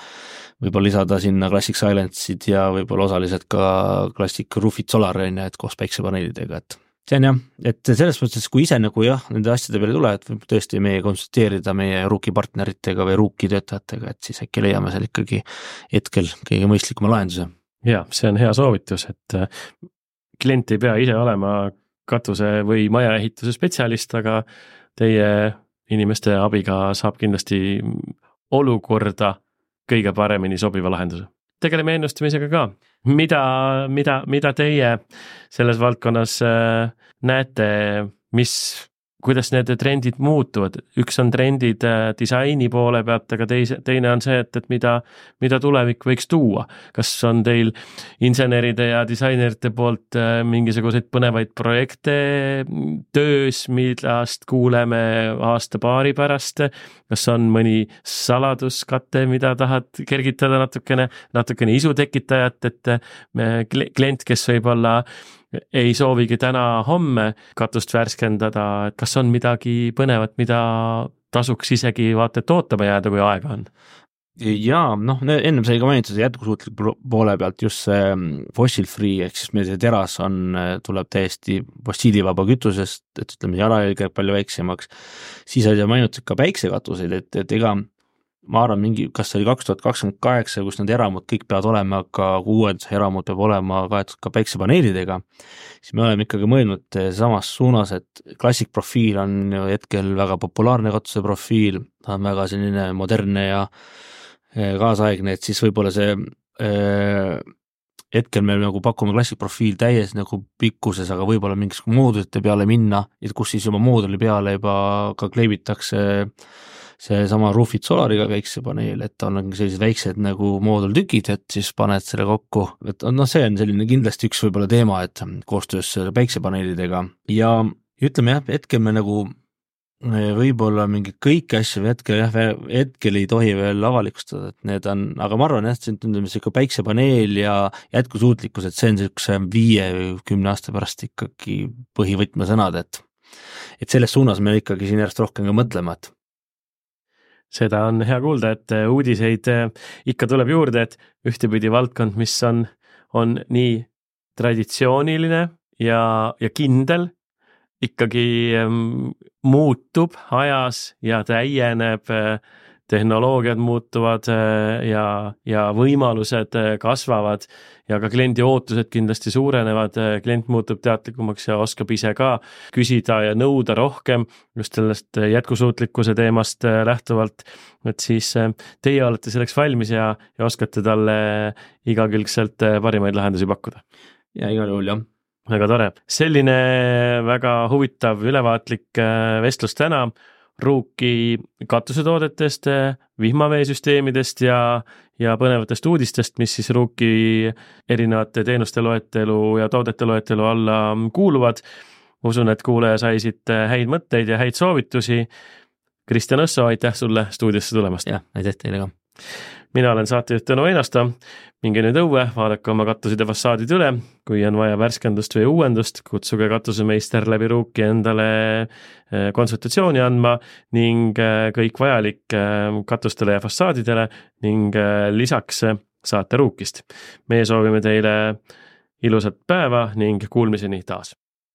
võib-olla lisada sinna Classic Silence'id ja võib-olla osaliselt ka Classic Roofit Solar, et koos päiksepaneelidega, et see on jah, et selles mõttes, kui ise nagu jah, nende asjade peale tule, et võib tõesti meie konsulteerida meie Ruuki partneritega või Ruuki töötajatega, et siis äkki leiame seal ikkagi hetkel kõige mõistlikuma lahenduse. Ja, see on hea soovitus, et klient ei pea ise olema katuse või majaehituse spetsialist, aga teie inimeste abiga saab kindlasti olukorda kõige paremini sobiva lahenduse. Tegeleme ennustamisega ka. Mida, mida, mida teie selles valdkonnas näete, mis, kuidas need trendid muutuvad? Üks on trendid disaini poole pealt, aga teise, teine on see, et, et mida, mida tulevik võiks tuua. Kas on teil inseneride ja disainerite poolt mingisuguseid põnevaid projekte töös, millast kuuleme aasta paari pärast? Kas on mõni saladuskatte, mida tahad kergitada natukene, natukene isu tekitajat, et klient, kes võib-olla ei soovigi täna homme katust värskendada, et kas on midagi põnevat, mida tasuks isegi vaata, et ootama jääda, kui aega on? Jaa, noh, ennem sai ka mainitud jätkusuutlik poole pealt just see fossil free, ehk siis meil see teras on, tuleb täiesti fossiilivaba kütusest, et ütleme, jalajälg palju väiksemaks, siis oli mainitud ka päiksekatuseid, et, et ega ma arvan mingi, kas see oli kaks tuhat kakskümmend kaheksa, kus need eramud kõik peavad olema, aga uued eramud peab olema kaetud ka päiksepaneelidega, siis me oleme ikkagi mõelnud samas suunas, et Classic profiil on hetkel väga populaarne katuse profiil, ta on väga selline modernne ja kaasaegne, et siis võib-olla see äh, hetkel me nagu pakume Classic profiil täies nagu pikkuses, aga võib-olla mingis moodulite peale minna, et kus siis juba mooduli peale juba ka kleebitakse see sama Roofit Solariga päiksepaneel, et on sellised väiksed nagu moodultükid, et siis paned selle kokku, et noh, see on selline kindlasti üks võib-olla teema, et koostöös päiksepaneelidega ja ütleme jah, hetkel me nagu võib-olla mingi kõiki asju hetkel, jah, hetkel ei tohi veel avalikustada, et need on, aga ma arvan jah, et see on päiksepaneel ja jätkusuutlikkus, et see on niisuguse viie või kümne aasta pärast ikkagi põhivõtmesõnad, et et selles suunas me ikkagi siin järjest rohkem ka mõtlema, et seda on hea kuulda, et uudiseid ikka tuleb juurde, et ühtepidi valdkond, mis on, on nii traditsiooniline ja, ja kindel, ikkagi muutub ajas ja täieneb, tehnoloogiad muutuvad ja, ja võimalused kasvavad ja ka kliendi ootused kindlasti suurenevad, klient muutub teadlikumaks ja oskab ise ka küsida ja nõuda rohkem just sellest jätkusuutlikkuse teemast lähtuvalt, et siis teie olete selleks valmis ja, ja oskate talle igakülgselt parimaid lahendusi pakkuda. Ja igal juhul jah. Väga tore. Selline väga huvitav ülevaatlik vestlus täna Ruuki katusetoodetest, vihmaveesüsteemidest ja, ja põnevatest uudistest, mis siis Ruuki erinevate teenuste loetelu ja toodete loetelu alla kuuluvad. Usun, et kuulaja sai siit häid mõtteid ja häid soovitusi. Kristjan Õsso, aitäh sulle stuudiosse tulemast. Ja, aitäh teile ka. mina olen saatejuht Tõnu Einasto, minge nüüd õue, vaadake oma katused ja fassaadid üle, kui on vaja värskendust või uuendust, kutsuge katusemeister läbi Ruuki endale konsultatsiooni andma ning kõik vajalik katustele ja fassaadidele ning lisaks saate Ruukist. Meie soovime teile ilusat päeva ning kuulmiseni taas.